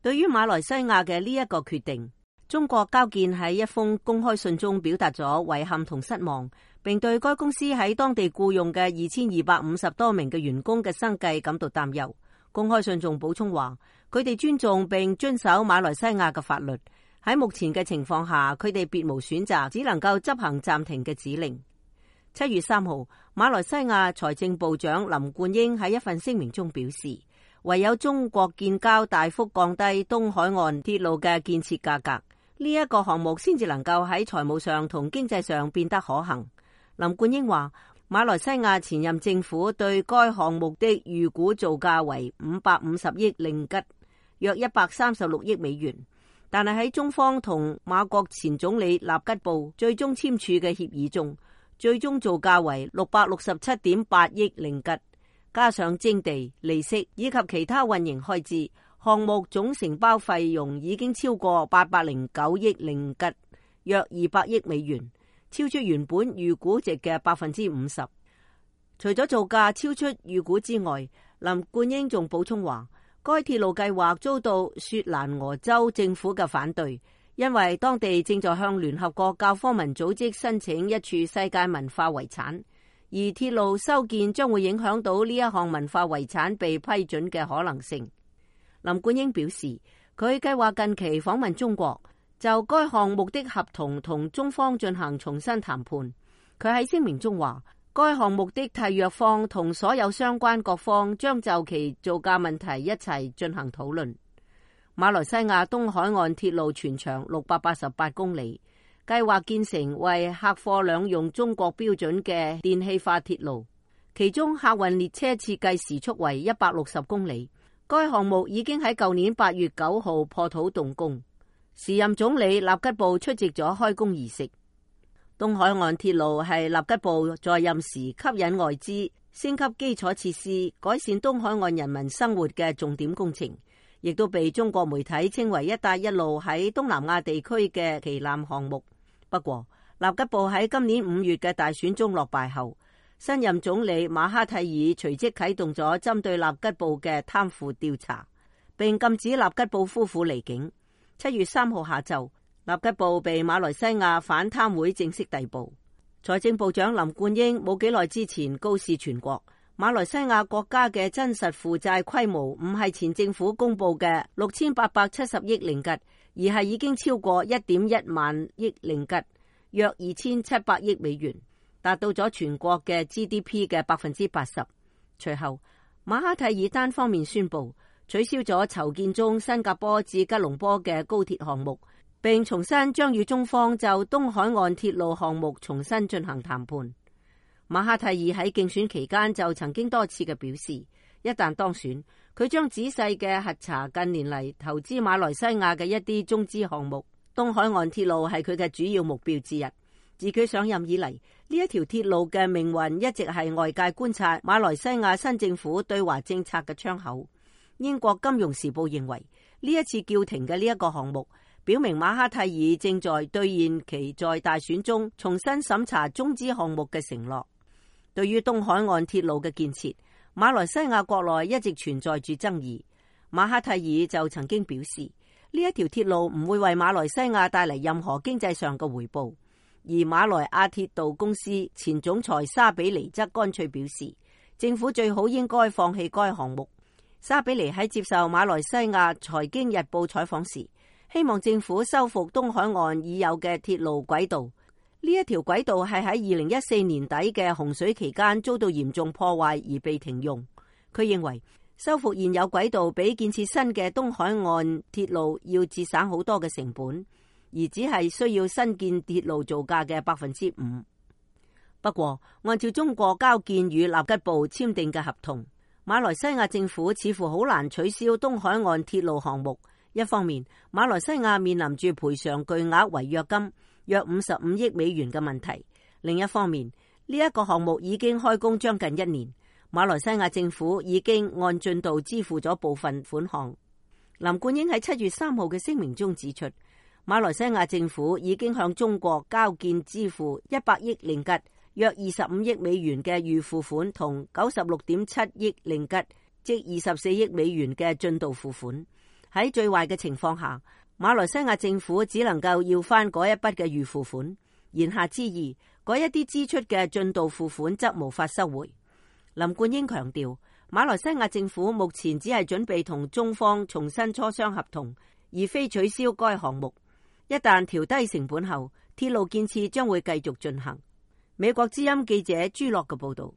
對於馬來西亞嘅呢一個決定，中國交建喺一封公開信中表達咗遺憾同失望，並對該公司喺當地僱用嘅2250多名嘅員工嘅生計感到擔憂。公開信仲補充話，佢哋尊重並遵守馬來西亞嘅法律，喺目前嘅情況下，佢哋別無選擇，只能夠執行暫停嘅指令。7月3號，馬來西亞財政部長林冠英喺一份聲明中表示，唯有中國建交大幅降低東海岸鐵路嘅建設價格，呢一個項目先至能夠喺財務上同經濟上變得可行。林冠英話，馬來西亞前任政府對該項目的預估造價為550億令吉，約136億美元，但係喺中方同馬國前總理納吉布最終簽署嘅協議中，最終造價為667.8億令吉。加上徵地、利息以及其他運營開支，項目總承包費用已經超過809億令吉，約200億美元，超出原本預估值嘅50%。除咗造價超出預估之外，林冠英仲補充話，該鐵路計劃遭到雪蘭莪州政府嘅反對，因為當地正在向聯合國教科文組織申請一處世界文化遺產。而鐵路修建將會影響到呢一項文化遺產被批准嘅可能性。林冠英表示，佢計劃近期訪問中國，就該項目的合同同中方進行重新談判。佢喺聲明中話，該項目的締約方同所有相關各方將就其造價問題一齊進行討論。馬來西亞東海岸鐵路全長688公里。計劃建成為客貨兩用中國標準嘅電氣化鐵路，其中客運列車設計時速為160公里。該項目已經喺舊年8月9號破土動工，時任總理納吉布出席咗開工儀式。東海岸鐵路係納吉布在任時吸引外資、升級基礎設施、改善東海岸人民生活嘅重點工程，亦都被中國媒體稱為一帶一路喺東南亞地區嘅旗艦項目。不過，納吉布喺今年5月嘅大選中落敗後，新任總理馬哈蒂爾隨即啟動咗針對納吉布嘅貪腐調查，並禁止納吉布夫婦離境。7月3號下晝，納吉布被馬來西亞反貪會正式逮捕。財政部長林冠英冇幾耐之前告示全國，馬來西亞國家嘅真實負債規模唔係前政府公布嘅6870億令吉，而係已經超過1.1萬億令吉，約2700億美元，達到咗全國嘅 GDP 嘅80%。隨後，馬哈蒂爾單方面宣布取消咗籌建中新加坡至吉隆坡嘅高鐵項目，並重新將與中方就東海岸鐵路項目重新進行談判。馬哈蒂爾喺競選期間就曾經多次嘅表示，一旦當選，佢將仔細嘅核查近年嚟投資馬來西亞嘅一啲中資項目。東海岸鐵路係佢嘅主要目標之一。自佢上任以嚟，呢一條鐵路嘅命運一直係外界觀察馬來西亞新政府對華政策嘅窗口。英國金融時報認為，呢一次叫停嘅呢一個項目，表明馬哈蒂爾正在兌現其在大選中重新審查中資項目嘅承諾。對於東海岸鐵路嘅建設，馬來西亞國內一直存在住爭議。馬哈蒂爾就曾經表示，呢一條鐵路唔會為馬來西亞帶嚟任何經濟上嘅回報。而馬來亞鐵道公司前總裁沙比尼則乾脆表示，政府最好應該放棄該項目。沙比尼喺接受馬來西亞財經日報採訪時，希望政府修復東海岸已有嘅鐵路軌道。呢一條軌道係喺2014年底嘅洪水期間遭到嚴重破壞而被停用。佢認為修復現有軌道比建設新嘅東海岸鐵路要節省好多嘅成本，而只係需要新建鐵路造價嘅5%。不過，按照中國交建與納吉布簽訂嘅合同，馬來西亞政府似乎好難取消東海岸鐵路項目。一方面，馬來西亞面臨住賠償巨額違約金約55億美元嘅問題；另一方面，呢一個項目已經開工將近1年，馬來西亞政府已經按進度支付咗部分款項。林冠英喺7月3號嘅聲明中指出，馬來西亞政府已經向中國交建支付100億令吉，約25億美元嘅預付款同96.7億令吉，即24億美元嘅進度付款。喺最壞嘅情況下，馬來西亞政府只能夠要翻嗰一筆嘅預付款，言下之意，嗰一啲支出嘅進度付款則無法收回。林冠英強調，馬來西亞政府目前只係準備同中方重新磋商合同，而非取消該項目。一旦調低成本後，鐵路建設將會繼續進行。美國之音記者朱樂嘅報道。